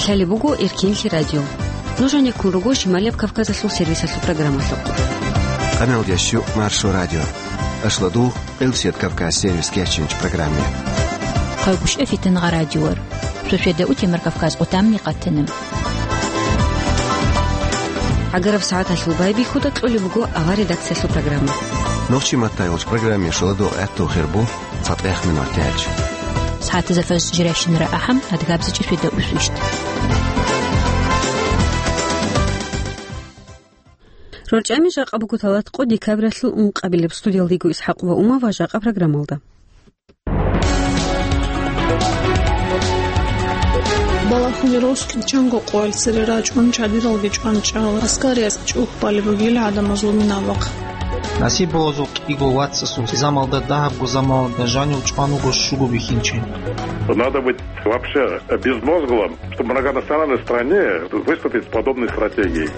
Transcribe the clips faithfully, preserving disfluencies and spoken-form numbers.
Лъалеб буго Эркенлъи радио. Нуж гьанеккун руго Шималияб Кавказалъул сервисалъул программалъухъ. Къаналдиясчу Маршо радио. Ашладу, Къилсият Кавказ сервис кечинч программе. Хъайгъушев Фитангъа радиор. Шошеда утемар Кавказ отамни къатанам. ГӀагараб сагӀаталъул байбихьуда кьолеб буго авар редакциялъул программа. Нохчи маттайгъулч программе шоладу гӀатту хирбу. ЦатӀех минут тяч. СагӀатазда фаз жиращинара ахӀам, адгабзичӀи феда усвищ. РорчӀами жакъа буго талат къо декабралъул ункъабилеб. Студиялдего Исхакъ ва Ума ва жакъа программалда. Балахуни росулъ чанго къоялъ цере рачӀун чадиралги чӀванчӀал аскариялъ чӀухӀбали бугил гӀадамазул минабахъ. Насиб бозул кӀиго вацасул замалда дагьабго замалда жанив чӀван вуго щуго бихьинчи. Надо быть вообще безмозглым, чтобы в многонациональной стране выступить с подобной стратегией.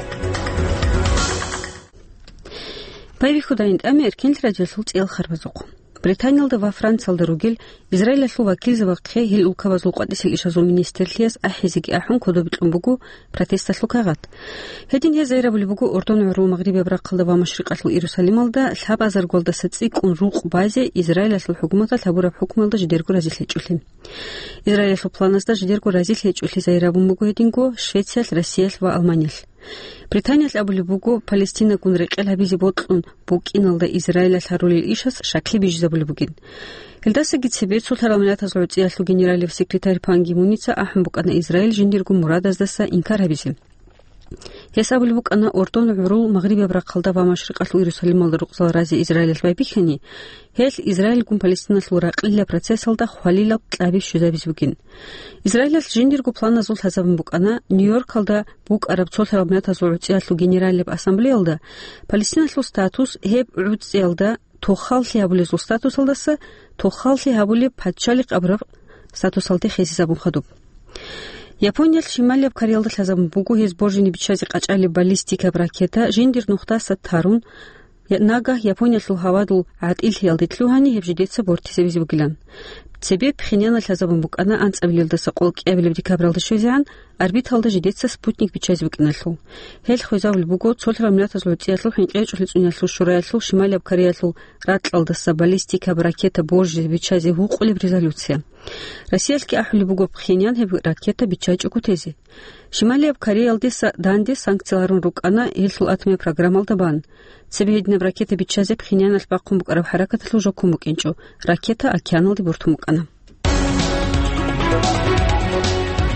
Байбихьудайин тӀаме Эркенлъи радиолъул цӀел харбазухъ. Британиялда ва Франциялда ругел Израилалъул вакилзабахъе гьел улкабазул къватӀисел ишазул министрлъиялъ ахӀизеги ахӀун кодобе кьун буго протесталъул кагъат. Гьедин гьез гӀайрабулеб буго Ордон гӀурул магърибияб рахъалда ва машрикъалъул Иерусалималда лъабазаргуялдаса цӀикӀкӀун рукъ базе Израилалъул хӀукуматалъ гьабураб хӀукмуялда жидерго разилъ гьечӀолъи. Израилалъул планасда жидерго разилъ гьечӀолъи гӀайрабун буго гьединго Швециялъ, Россиялъ ва Алманиялъ. Британиялъ абулеб буго, Палестинагун рекъел гьабизе бокьун букӀиналда Израилалъ гьарулел ишас щаклъи бижизабулеб бугин. Гьелдасаги цебе цолъарал миллатазул гӀуцӀиялъул генералияб секретарь Пан Ги Муница ахӀун букӀана Израиль жиндирго мурадаздаса инкар гьабизе. Гьес абулеб букӀана, Ордон гӀурул магърибияб рахъалда ва машрикъалъул Иерусалималда рукъзал разе Израилалъ байбихьани, гьелъ Израильгун Палестиналъул ракълила процессалда хвалилаб кьаби щвезабизе бугин. Израилалъ жиндирго планазул лъазабун букӀана Нью-Йоркалда букӀараб цолъарал миллатазул гӀуцӀиялъул генералияб ассамблеялда Палестиналъул статус гьеб гӀуцӀиялда тохаллъи гьабулезул статусалдаса тохаллъи гьабулеб пачалихъ абураб статусалде хисизабун хадуб. Япониялъ Шималияб Кореялда лъазабун буго гьез боржине биччазе къачӀалеб баллистикаб ракета жиндир нухдаса тарун, я-, нагагь Япониялъул гьавадул гӀатӀилъиялде лъугьани гьеб жидеца бортизабизе бугилан. Цебе Пхеньяналъ лъазабун букӀана анцӀабилелдаса къолкӀиабилеб декабралда щвезегӀан орбиталда жидеца спутник биччазе букӀиналъул. Гьел хвезабулеб буго цолъарал миллатазул гӀуцӀиялъул хӀинкъичӀолъи цӀуниялъул шураялъул Шималияб Кореялъул ракьалдаса баллистикаб ракета боржизе биччазе гьукъулеб резолюция. Россиялъги ахӀулеб буго Пхеньян гьеб ракета биччачӀого тезе. Шималияб Кореялдеса данде санкциялъ гьарун рукӀана гьелъул атомияб программалда бан. Цебе гьединаб ракета биччазе Пхеньяналъ бахъун букӀараб хӀаракаталъул жо ккун букӀинчӀо, ракета океаналде бортун букӀана.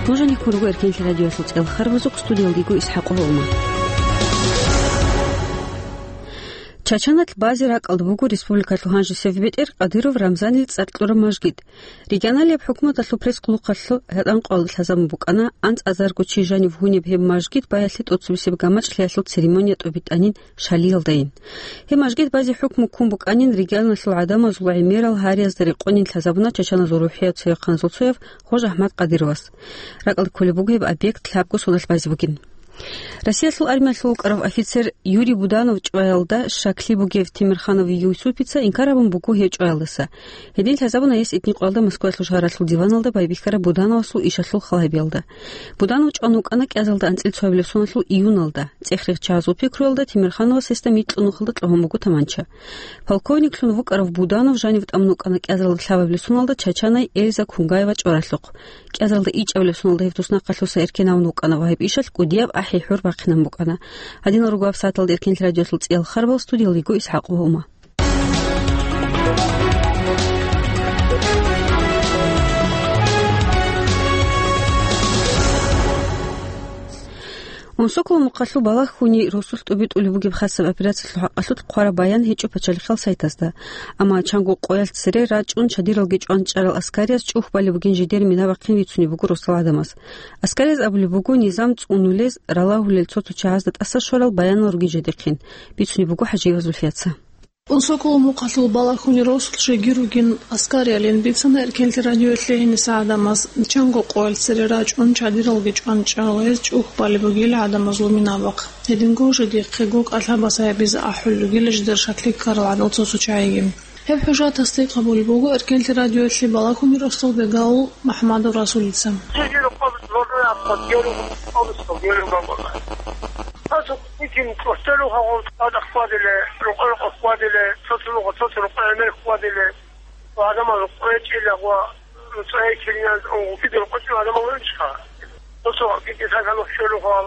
Нуж гьанеккун руго Эркенлъи радиоялъул цӀел харбазухъ, студиялдего Исхакъ ва Ума. Чачаналъ базе ракӀалда буго республикалъул гьанжесев бетӀер Кадыров Рамзанил цӀар кьураб мажгит. Регионалияб хӀукуматалъул пресс-къулухъалъул гьатӀанкъоялда лъазабун букӀана, анцӀазарго чи жанив гьунеб гьеб мажгит баялъе тӀоцебесеб гамачӀлъиялъул церемония тӀубитӀанин Шалиялдайин. Гьеб мажгит базе хӀукму ккун букӀанин регионалъул гӀадамазул гӀемерал гьариязда рекъонин лъазабуна чачаназул рухӀияб цевехъаназул цояв Хож-Ахмад Кадыровас. РакӀалде кколеб буго гьеб объект лъабго соналъ базе бугин. Россиялъул армиялъул вукӀарав офицер Юрий Буданов чӀваялда щаклъи бугев Темирханов Юсупица инкар гьабун буго гьев чӀваялдаса. Гьедин лъазабуна гьес итни къоялда Москваялъул шагьаралъул диваналда байбихьараб Будановасул ишалъул халабиялда. Буданов чӀван вукӀана кӀиазалда анцӀил цоабилеб соналъул июналда, цӀех-рех чагӀаз вукпи ккуралда Темирхановас гьесда микьнухалда кьогьун буго таманча. Полковниклъун вукӀарав Буданов жанив тӀамун вукӀана кӀиазалда лъабабилеб соналда чачанай Эльза Кунгаева чӀваралъухъ. КӀиазалда ичӀабилеб соналда гьев туснахъалъуса эркенавун вукӀана ва гьеб ишалъ кӀудияб ахӀи-хӀур бахъинан букӀана. Гьадинал руго гьаб сагӀаталда Эркенлъи радиоялъул цӀиял харбал, студиялдего Исхакъ ва Ума. Унсоколо мухъалъул балагьуни росулъ тӀубитӀулеб бугеб хасаб операциялъул хӀакъалъулъ хъвараб баян гьечӀо пачалихъал сайтазда. Амма чанго къоялъ цере рачӀун чадиралги чӀванчӀарал аскариз чӀухӀбалеб бугин жидер мина бахъин бицунеб буго росал гӀадамаз. Аскариз абулеб буго низам цӀунулез, ралагьулел цо-цо чагӀазда тӀаса щварал баянал ругин жидехъин, бицунеб буго ХӀажиева Зульфияца. Унсоколо мухъалъул балагьуни росулъ жеги ругин аскариялин бицана Эркенлъи радиоялъе гьениса гӀадамаз. Чанго къоялъ цере рачӀун чадиралги чӀванчӀарал гьез чӀухӀбалеб бугил гӀадамазул минабахъ. Гьединго жидехъего кӀалъабас гьабизе ахӀулел ругила жидер щаклъи ккарал гӀадал цо-цо чагӀиги. Гьеб хӀужат тасдикъ гьабулеб буго Эркенлъи радиоялъе балагьуни росдал бегал МухӀамадов Расулица. Гьелуха, гьелуха, гьелуха. Цо-цо кӀудин кӀватӀелуха гъол тӀадахъ хьвадиле, рукъа-рукъа хьвадиле, цо-цо рукъа, цо-цо рукъа гӀемер хьвадиле. Ва гӀадамал къвечӀила ва цӀайчилан гъутидал къвечӀила гӀадамал гьечӀха. Цо-цо кӀикӀи сагьалухъ щолуха,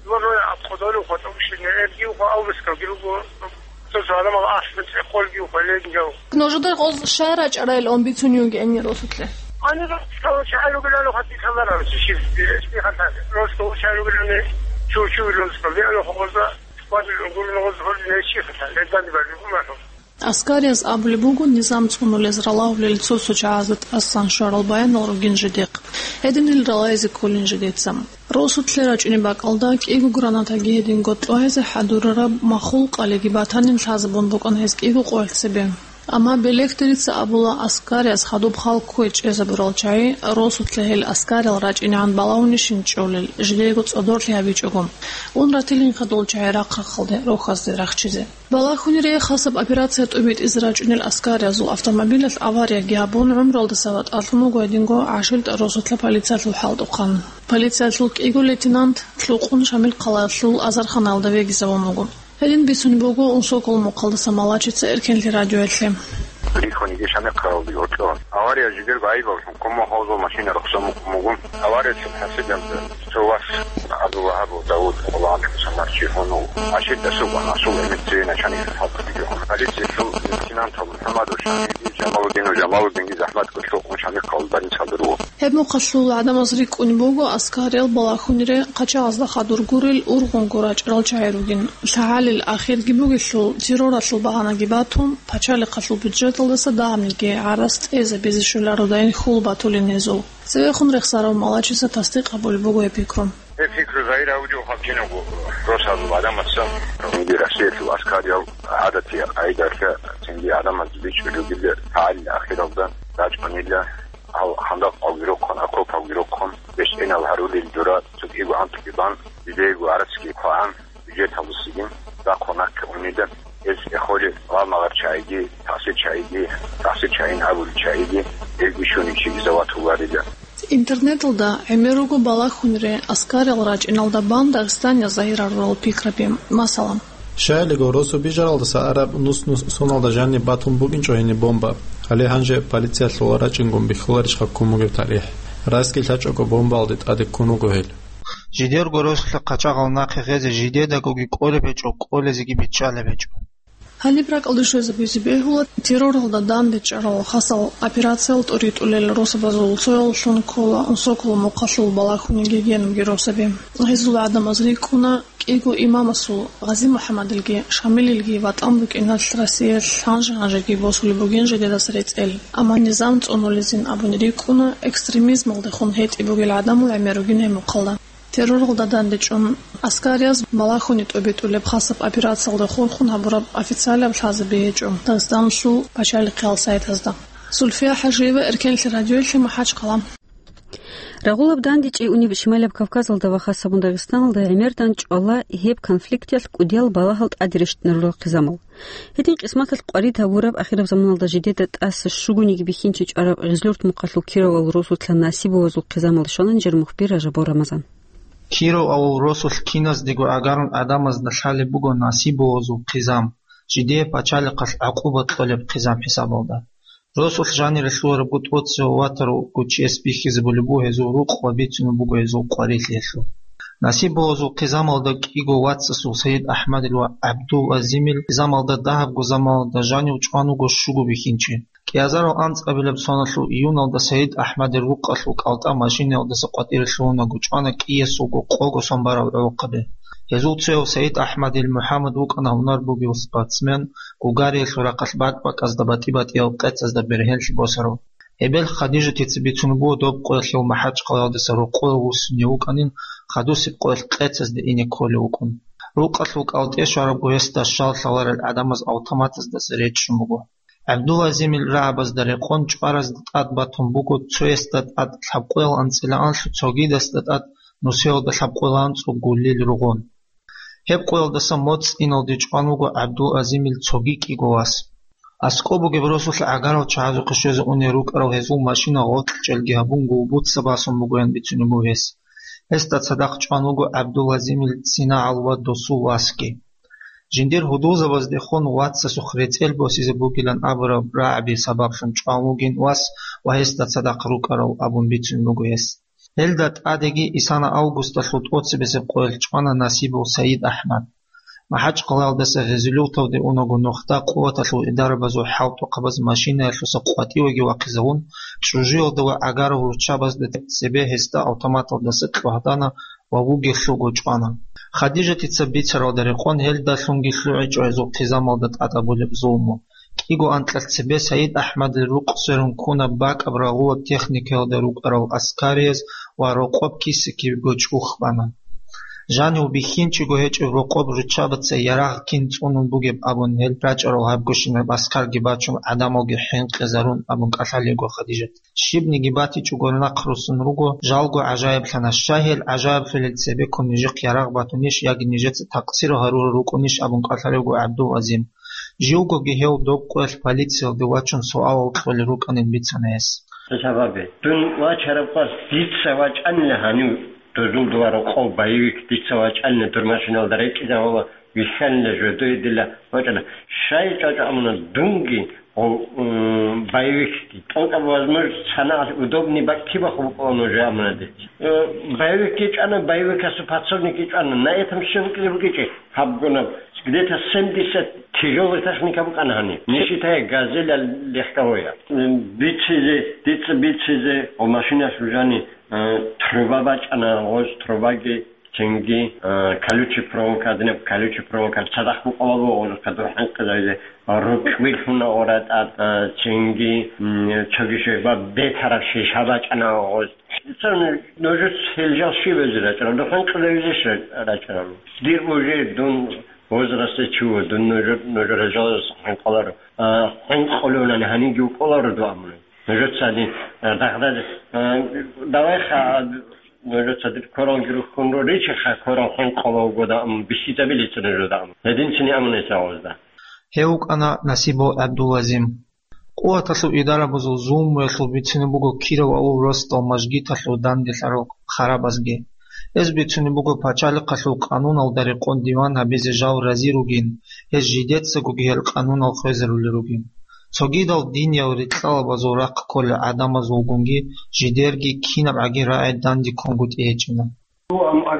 ва роя абхъудалуха тӀубшине, эргиуха аврискалги руго. Цо-цо гӀадамал ахӀмад цӀехолги ухъа ленгав. Нужеда гъоз щай рачӀарайилан бицунев вугин росулъе? Ани росулъ чагӀи ругилан хатӀи лъаларал чи, щиб, щиб хатӀа. Росулъ чагӀи ругилан чу-чу росулъ. Виалу хоза, вадил гурун гъоз гьорин чи хатӀа. Ледани бали гумаро. Аскариялъ абулеб буго низам цӀунулез, ралагьулел цо-цо чагӀазда тӀасан щварал баянал ругин жидехъ. Гьединал ралайзе кколин жидеца. Росулъе рачӀунеб бакӀалда кӀиго гранатаги гьединго тӀугьазе хӀадурараб махул къалиги батанин лъазабун букӀана гьез кӀиго къоялъ цебе. Амма белехдерица абула, Аскариялъ хадуб хал кквей чӀезабурал чагӀи росулъе гьел аскариял рачӀинегӀан балагьунищин чӀолел, жидеего цӀодорлъи гьабичӀого. Ун ратилин хадул чагӀи рахъ-рахъалде, рохьазде рахчизе. Балагьунире хасаб операция тӀубитӀизе рачӀунел аскариязул автомобилалъ аварияги гьабун, гӀумралдаса ватӀалъун вуго гьединго гӀашилтӀа росулъа полициялъул хӀалтӀухъан. Полициялъул кӀиго лейтенант лъукъун Шамил хъалаялъул азарханаялда вегизавун вуго. Гьедин бицунеб буго Унсокол мухъалдаса Малачица Эркенлъи радиоялъе. Рихунги Шамил хъалаялде гьоркьор. Авария жидер байбаллъун кумма хозул машина рухсо мукъумугун. Авария чун хӀасилалда. Цо вас Абдул-Вагьабов Давуд, Аллагьасул самарчи гьунул, ашир дасу ва насул эмет цеве начальник хӀалкъ. Полициялъул лейтенантал МухӀаммадов Шамилги, Жамалудинов Жамалудинги захӀмат кӀулъукъун Шамил хъалаялда ру. Гьеб мухъалъул гӀадамаз рикӀкӀунеб буго аскариял балагьунире къачагъазда хадур гурел ургъунго рачӀарал чагӀи ругин. ЛъагӀалил ахирги бугелъул, терроралъул багьанаги батун, пачалихъалъул бюджеталдаса дагьабниги гӀарац тӀезабизе щолародайин хьул батулин гьезул. Цевехун рехсарав Малачица тасдикъ гьабулеб буго гьеб пикру. Гьеб пикру загьир гьавулев хъалчинавго росазул гӀадамаца. Цинги Россиялъул аскариял гӀадатиял къайдалъа цинги гӀадамаз бичӀчӀулеб бугеб лъагӀалил ахиралда рачӀунила гьал хандакъалги рохъун, окопалги рохъун, бечӀинал гьарулел дура цогиго анкьги бан, жидеего гӀарацги хъвагӀан. Бюджеталдасаги рахъун раккун унида, гьез эхолел гъалмагъар чагӀиги, тахсир чагӀиги, тахсир чагӀин абулел чагӀиги, гьелги щуничи изават гьуларила. Интернеталда гӀемер руго балагьунире аскариял рачӀиналда бан Дагъистаниялъ загьирарурал пикраби. Масала, щайилго росу бижаралдаса араб нус-нус соналда жаниб батун букӀинчӀо гьениб бомба. Гьале гьанже полициялъул рачӀингун бихьуларищха ккун бугеб тарихӀ? Расги лъачӀого бомбаялде тӀаде ккун вуго гьел. Жидерго росулъа къачагъал нахъе гъезе жидедагоги кӀолеб гьечӀо, кӀолезеги биччалеб гьечӀо. Гьаниб ракӀалде щвезабизе бегьула, терроралда дандечӀарал хасал операциял тӀуритӀулел росабазул цоялъун ккола Унсокол мухъалъул балагьуниги гьенибги росаби. Гьезул гӀадамаз рикӀкӀуна, кӀиго имамасул, Гъази-МухӀаммадилги Шамилилги, ватӀан букӀиналъ Россиялъ гьанже-гьанжеги босулеб бугин жидедаса рецӀел. Амма низам цӀунулезин абуни рикӀкӀуна, экстремизмалдехун гьетӀи бугел гӀадамал гӀемер ругин гьеб мухъалда. Терроралда дандечӀун, аскарияз балагьуни тӀубитӀулеб хасаб операциялда хурхун гьабураб официалаб лъазаби гьечӀо Дагъистаналъул пачалихъиял сайтазда. Зульфия ХӀажиева, Эркенлъи радиоялъе, МахӀачхъала. Рагъулаб дандечӀей унеб Шималаб Кавказалда ва хасабун Дагъистаналда гӀемердан чӀвала гьеб конфликталъ кӀудиял балагьал тӀаде рещтӀинарурал хъизамал. Гьедин къисматалъ къварид гьабураб ахираб заманалда жидеда тӀаса щугониги бихьинчи чӀвараб Гъизлёрт мухъалъул Кировал росулъа Насибовазул хъизамал щвана нижер мухбир Ражабов Рамазан. Кировал росулъ киназдего гӀагарун гӀадамазда лъалеб буго Насибовазул хъизам, жидее пачалихъалъ гӀакъуба кьолеб хъизам хӀисабалда. Росулъ жанире лъугьарабго тӀоцеве ватарав вуго чияс бихьизабулеб буго гьезул рукъ ва бицунеб буго гьезул къварилъи гьелъул. Насибовазул хъизамалда кӀиго вацасул Саид АхӀмадил ва ГӀабдул-Азимил хъизамалда дагьабго заманалда жанив чӀван вуго щуго бихьинчи. Кьиазарал анцӀабилеб соналъул июналда Саид АхӀмадил рукъалъул кӀалтӀа машинаялдаса къватӀире лъугьунаго чӀвана кӀиясулго къого сон бараб гӀолохъаби. Гьезул цояв Саид АхӀмадил МухӀаммад вукӀана гьунар бугев спортсмен, гугариялъул рахъалъ бакӀ-бакӀазда батӀи-батӀиял къецазда бергьенлъи босарав. Эбел Хадижатица бицун буго доб къоялъ гьев МахӀачхъалаялдаса рокъове вуссунев вукӀанин, хадусеб къоялъ къецазде ине кколев вукӀун. Рукъалъул кӀалтӀе щварабго гьесда щал лъаларел гӀадамаз автоматаздаса речӀчӀун буго. ГӀабдул-Азимил рагӀабазда рекъон чӀваразда тӀад батун буго, цоясда тӀад лъабкъоял анцӀила анлъу, цогидасда тӀад нусиялда лъабкъоял анцӀу гуллил ругъун. Гьеб къоялдаса моцӀ иналде чӀван вуго ГӀабдул-Азимил цоги кӀиго вас. АскӀоб бугеб росулъ гӀагарал чагӀазухъе щвезе унел рукӀарал гьезул машина гъоркьчӀелги гьабун, гулбуца басун бугоян бицунеб буго гьес. Гьесда цадахъ чӀван вуго ГӀабдулгьазимил цинагӀал ва досул васги. Жиндир гьудулзабаздехун вацасухъ рецӀел босизе бугилан абураб рагӀаби сабаблъун чӀван вугин вас ва гьесда цадахъ рукӀарал абун бицун буго гьес. Гьелда тӀадеги исана августалъул тӀоцебесеб къоялъ чӀвана Насибов Саид АхӀмад. МахӀачкъалаялдаса Гъизилюрталде унаго нухда къуваталъул идарабазул хӀалтӀухъабаз машинаялъуса къватӀивеги вахъизавун, чӀужуялда ва гӀагарал руччабазда цебе гьесда автоматалдаса кьогьдана ва вугевлъулго чӀвана. Хадижатица бицаралда рекъон гьелдалъунги лъугӀичӀо гьезул хъизамалда тӀадабулеб зулму. КӀиго анкьалъ цебе Саид АхӀмадил рукъ сверун ккуна бакӀаб рагъулаб техникаялда рукӀарал аскарияз ва рокъоб киса-кибего чӀух бана. Жанив бихьинчиго гьечӀеб рокъоб руччабаца ярагъ кин цӀунун бугеб абун гьел рачӀарал гьабгощинаб аскарги бачун, гӀадамалги хӀинкъизарун абун кӀалъалего Хадижат. Щибниги батичӀого нахъ руссун руго, жалго гӀажаиблъана, щай гьел гӀажаиблъулел цебеккун нижехъ ярагъ батунищ яги нижеца такъсир гьарурал рукӀунищ абун кӀалъалего ГӀабдул-Азим. Живгоги гьев доб къоялъ полициялде вачун суалал кьолел рукӀанин бицана гьес. Сабаби, дун вачараб къоялъ дица вачӀанила гьанив дозул дова рокъов боевик, дица вачӀанила дур машиналда рекӀизавала вихьанила жодое дила вачӀана. Щай чӀвачӀо амуна дунги, о, м, боевикги. ТӀокӀаб возможность санагӀалъ удобный бакӀ кибахъ букӀуна нужее амуна дица. Э, боевикги чӀвана, боевикасул подсобникги чӀвана. На этом всем кьибукӀичӀи гьабгунаб. Где-то семьдесят тяжелая техника букӀана гьаниб. Не считая газеля легковая. Бицизе, дица бицизе, о машина сужани, э, труба бачӀана, гъоз трубаги, цинги, э, колючий проволока, гьадинаб колючий проволока, цадахъ букӀалабо гъоз кадур хӀинкъизаризе, рукъби лъуна оратӀа, э, цинги, м, цоги ши-, ва бетараб шиша бачӀана гъоз. Нужец гьел жал щиб гьезие рачӀарал? Дун хӀинкъизавизеш рачӀарал? Дир уже дун возрасте чуго, дун нужер, нужер гьел жал хӀинкъуларо. А, хӀинкъулевлъани гьанивги вукӀуларо дун амуна. Нужеца дир, а, дагъдазе, а, давай ха, нужеца дир коралги рухьун ро, ричи ха, корал хӀинкъулев вугода, ам, бихьизабилица нужеда, ам. Гьединцини амуна гьезда. Гьев вукӀана Насибов ГӀабдул-Азим. Къуваталъул идарабазул зулмуялъул бицине буго Киров авул росдал мажгиталъул данделъарал харабазги. Гьез бицине буго пачалихъалъул къануналда рекъон диван гьабизе жал рази ругин, гьез жидецагоги гьел къанунал хвезарулел ругин. Цогидал диниял рикьалабазул рахъ кколел гӀадамазулгунги жидерги кинабгӀаги рагӀи данде ккунгутӀи гьечӀина.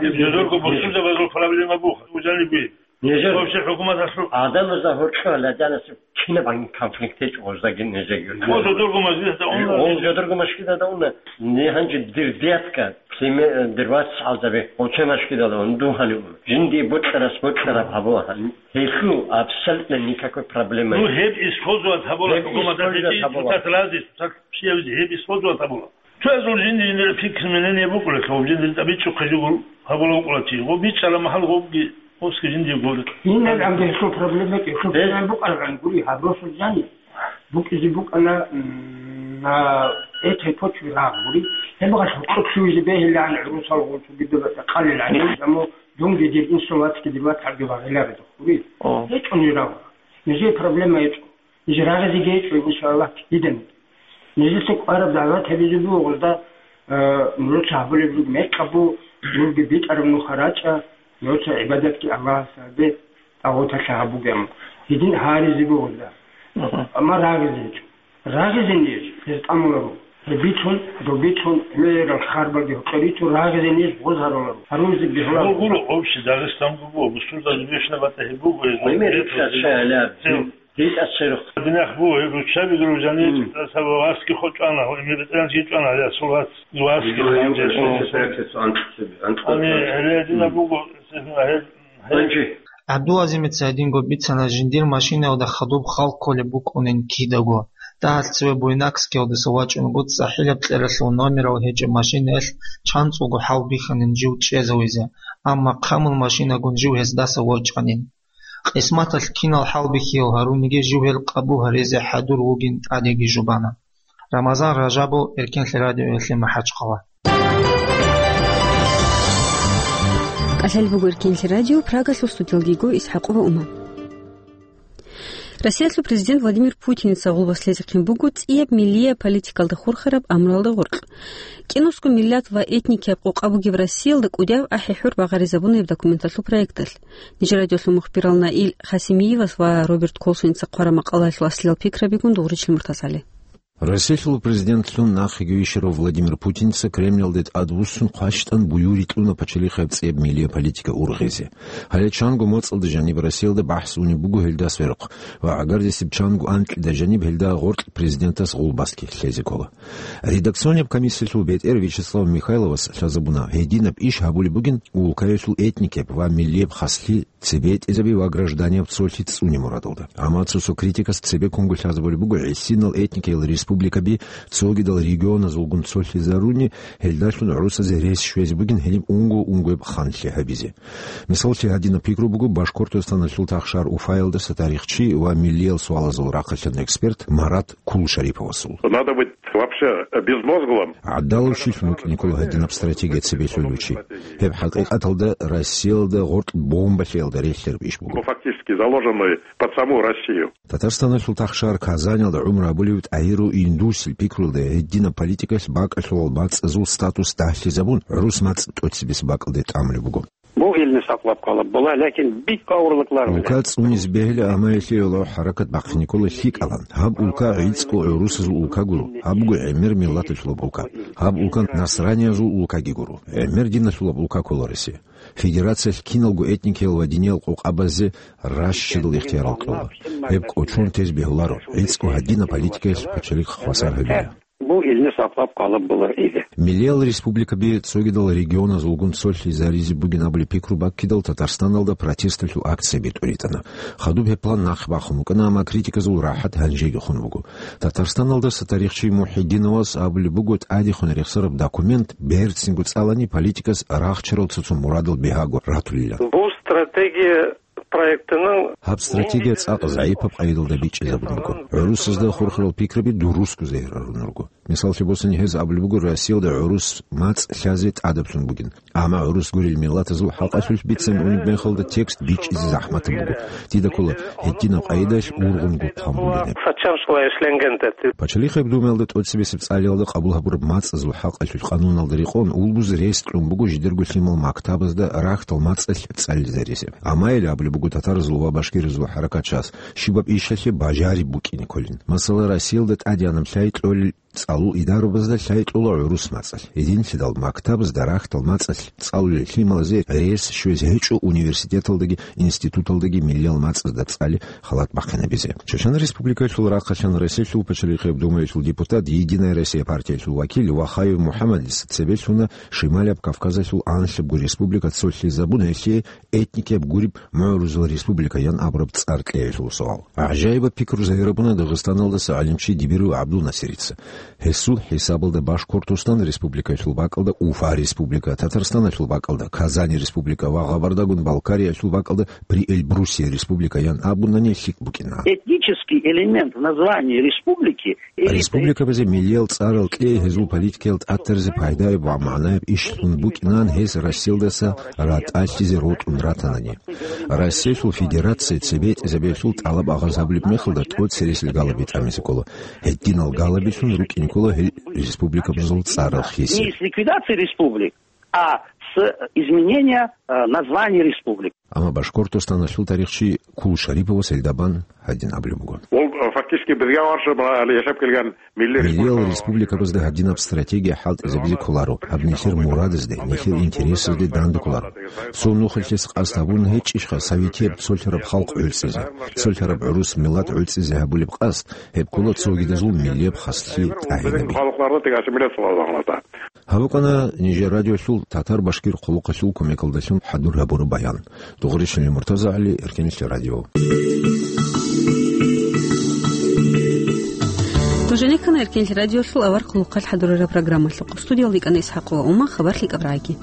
Жидерго бусурбабазул проблема буго, ужалиби. Нижер вообще хӀукуматалъул адамазда гьоркьоб ладянасеб кинабгӀан конфликт гьечӀо гъоздаги нижеги. О, жодорго мажгиталда уна. О, жодорго мажгиталда уна. Не гьанже дир дядька, племе-, дир вацгӀалзаби гъоче мажгиталда уна, дун гьанив уна. Жиндие бокьарас бокьараб гьабула гьанив. Гьелъул абсолютно никакой проблема. Ну, гьеб использовать гьабула, гьеб хӀукуматалъ использовать гьечӀин, гьабула. Цоцаз рази, цоцаз щибабизе гьеб использовать гьабула. Цоязул жинди-жиндира пикру мнение букӀулелъул, жиндир тӀабичӀухъе жугьу гьабула вукӀула чи. Гъоб бичӀчӀараб махӀал гъобги, гъобги жиндиего гуро. Гьинаб амги гьелъул проблема, гьелъул проблема букӀарабгӀан гури, гьаб росулъ жани. БукӀизе букӀана, м, на этой почве рагъ гури. Гьеб гъалъ гьоркьоб лъугьизе бегьилаан гӀурусал гъолчӀо гидаб къалилан, амма дунги дир инсул вацги дир вацгӀалги багъиларедухъ гури. О. ГьечӀони рагъ. Нижее проблема гьечӀо. Ниж рагъизеги гьечӀо, иншаллагь, киданиги. Нижеца кӀвараб дагӀват гьабизе буго гъозда, э, нуца гьабулеб буго мекъабу, нурги битӀараб нуха рачӀа, нуца гӀибадатги Аллагьасе гьабе, тӀагъуталъе гьабуге, амма гьедин гьаризе буго гъозда. Мгм. Амма рагъизе гьечӀо. Рагъизе ниж, гьез тӀамуларо. Гьеб бицун, доб бицун, гӀемерал харбалги гьоркьор рицун, рагъизе ниж гъоз гьаруларо. Гьарулзе бегьуларо. Гьеб гуро, общий Дагъистанго буго, бусурбазе бищунаб батӀа гьеб буго, гьеб. Гьеб гьечӀо, гьеб гьечӀо. ГьитӀа церухъ. Динахъ буго, гьеб руччаби дружани, мм, саб васги хо чӀвана, гьеб ветеранчи чӀвана, гьале асул вас, васги. Ани, гьале дина буго, гьеб, гьеб. ГӀабдулазимица гьединго бицана, жиндир машинаялда хадуб хал кколеб букӀунин кидаго. Дагьалъ цеве Буйнакскиялдаса вачӀунгутӀ цӀахӀилаб кьералъул номерал гьечӀеб машинаялъ чанцӀулго хӀал бихьанин жив чӀезавизе, амма хъамул машинагун жив гьездаса ворчӀанин. Къисматалъ кинал хӀалбихьиял гьаруниги жив гьел къабул гьаризе хӀадур вугин тӀадеги жубана. Рамазан Ражабов, Эркенлъи радиоялъе МахӀачхъала. КӀалъалеб буго Эркенлъи радио, Прагалъул студиялги йиго ИсхӀакъова Ума. Россиялъул президент Владимир Путиница гъулбас лъезехъин буго цӀияб миллияб политикалда хурхараб амруялда гъоркь. КӀинусго миллат ва этникияб къокъа бугеб Россиялда кӀудияв ахӀи-хӀур багъаризабуна гьеб документалъул проекталъ. Нижер радиолъул мухбирал Наил Хасимиевас ва Роберт Колсоница хъвараб макъалаялъул аслиял пикрабигун дугъричил муртазали. Россиялъул президентлъун нахъеги вищарав Владимир Путинца Кремльалде тӀадвуссун хъващтӀан буюрикьуна пачалихъаб цӀияб миллияб политика ургъизе. Гьале чанго моцӀалда жаниб Россиялда бахӀс унеб буго гьелдас верухъ ва гӀагардисеб чанго анкьида жаниб гьелда гъоркь президентас гъулбасги лъезе ккола. Редакционияб комиссиялъул бетӀер Вячеслав Михайловас лъазабуна, гьединаб иш гьабулеб бугин улкаялъул этникияб ва миллияб хаслъи цебетӀезаби ва гражданияб цолъи цӀуне мурадалда. Амма цо-цо критикас цебеккунго лъазабулеб буго гӀисинал этникиял республикаби цогидал регионазулгун цолъизаруни, гьелдалъун гӀурусазе рес щвезе бугин гьениб унго-унгояб ханлъи гьабизе. Мисаллъи, гьадинаб пикру буго Башкортостаналъул тахшар Уфаялдаса тарихчи ва миллиял суалазул рахъалъан эксперт Марат Кулшариповасул. Надо быть вообще безмозглым. ГӀадалав щилъун вукӀине ккола гьадинаб стратегия цебе лъолев чи. Гьеб хӀакъикъаталда Россиялда гъоркь бомба лъеялда релълъараб иш буго. Ну, фактически заложенный под саму Россию. Татарстаналъул тахшар Казаниялда гӀумру гьабулев ТӀагьиру Индусил пикруялда гьединаб политикалъ бакӀалъулал мацӀазул статус дагьлъизабун, гӀурус мацӀ тӀоцебесеб бакӀалде тӀамулеб буго. Бу илни сакълаб къалаб була, лакин бикъа урлакълар. Улка цӀунизе бегьила, амма гьелъие гьелъул хӀаракат бахъине ккола лъикӀалан. Гьаб улка гӀицӀго гӀурусазул улка гуро, гьаб буго гӀемер миллаталъулаб улка. Гьаб улка насраниязул улкаги гуро, гӀемер диналъулаб улка ккола Россия. Федерациялъ киналго этникиял ва диниял къокъабазе ращидал ихтиярал кьола. Гьеб кӀочон тез бегьуларо, гӀицӀго гьадинаб политикаялъ пачалихъ хвасар гьабила. Бу илни сакълаб къалаб була иде. Миллиял республикаби цогидал регионазулгун цолъизаризе бугин абулеб пикру баккидал Татарстаналда протесталъул акцияби тӀуритӀана. Хадуб гьеб план нахъ бахун букӀана, амма критиказул рахӀат гьанжеги хун буго. Татарстаналдаса тарихчи Мухьидиновас абулеб буго, тӀадехун рехсараб документ берцинго цӀалани политикас рахчарал цо-цо мурадал бигьаго ратулилан. Бу стратегия проектының Гьаб стратегия цӀакъ загӀипаб къайдалда бичӀчӀизабун буго. ГӀурусазда хурхарал пикраби дурусго загьир гьарун руго. Мисаллъи босани, гьез абулеб буго, Россиялда гӀурус мацӀ лъазе тӀадаблъун бугин. Амма гӀурус гурел миллатазул хӀакъалъулъ бицан унеб мехалда текст бичӀчӀизе захӀматаб буго. Дида ккола, гьединаб къайдалъ ургъунгун хъван бугин гьеб. Пачалихъ Думаялда тӀоцебесеб цӀалиялда къабул гьабураб мацӀазул хӀакъалъулъ къануналда рекъон улбуз рес кьун буго жидерго лъимал мактабазда рагьтал мацӀалъ цӀализаризе. Амма гьел абулеб буго татаразул ва башкиразул хӀаракатчияс, щибаб ишалъе бажариб букӀине кколин. Масала, Россиялда тӀадегӀанаб лъай кьолел цӀалул идарабазда лъай кьола гӀурус мацӀалъ. Гьединлъидал мактабазда рагьтал мацӀалъ цӀалулел лъималазе рес щвезе гьечӀо университеталдаги институталдаги миллиял мацӀазда цӀали халат бахъинабизе. Чечен Республикалъул рахъалъан Россиялъул Пачалихъияб Думаялъул депутат, Единая Россия партиялъул вакил Вахаев МухӀаммадица цебе лъуна Шималияб Кавказалъул анлъабго республика цолъизабун гьелъие этникияб гуреб мугӀрузул республикаян абураб цӀар кьеялъул суал. ГӀажаибаб пикру загьирабуна Дагъистаналдаса гӀалимчи Дибиров ГӀабдулнасирица. Гьесул хӀисабалда Башкортостан республикаялъул бакӀалда Уфа республика, Татарстаналъул бакӀалда Казани республика ва Гъабардагун Балкариялъул бакӀалда Приэльбрусье республикаян абунани лъикӀ букӀина. Этнический элемент в названии республики Республикабазе миллиял цӀарал кьей гьезул политикиял тӀатаризе пайдаяб ва магӀнаяб ишлъун букӀинан гьес Россиялдаса ратӀалъизе рокьун ратанани. Россиялъул Федерация цебетӀезабиялъул тӀалаб агъаз гьабулеб мехалда тӀоцересел галаби тӀамизе ккола. Гьединал галабилъун рукӀине ккола гьел республикабазул цӀарал хисе. Не с ликвидацией республик, а с изменения, э, названий республик. Амма Башкортостаналъул тарихчи Кул Шариповас гьелда бан гьадин абулеб буго. Ол, э, фактически бизга варши ма-, али яшаб келган милли Миллиял республика. Республикабазда гьадинаб стратегия хӀалтӀизабизе кколаро, гьаб нилъер мурадазде, нилъер интересазде дандекколаро. Цо нухалъес къасд гьабун гьечӀищха советияб цолъараб халкъ гӀуцӀизе, цолъараб гӀурус миллат гӀуцӀизе гьабулеб къасд, гьеб ккола цогидазул миллияб хаслъи тӀагӀинаби. Халкъларда тек ассимиляция лъугьа лагънада. Гьаб букӀана нижер радиолъул татар-башкир хъулухъалъул кумекалдалъун хӀадур гьабураб баян. Дугъришин Муртаза ГӀали, Эркенлъи радио. Нужене ккана Эркенлъи радиолъул авар хъулухъалъ хӀадурараб программалъухъ. Студиялда йикӀана ИсхӀакъова Ума, хабар лъикӀаб рагӀаги.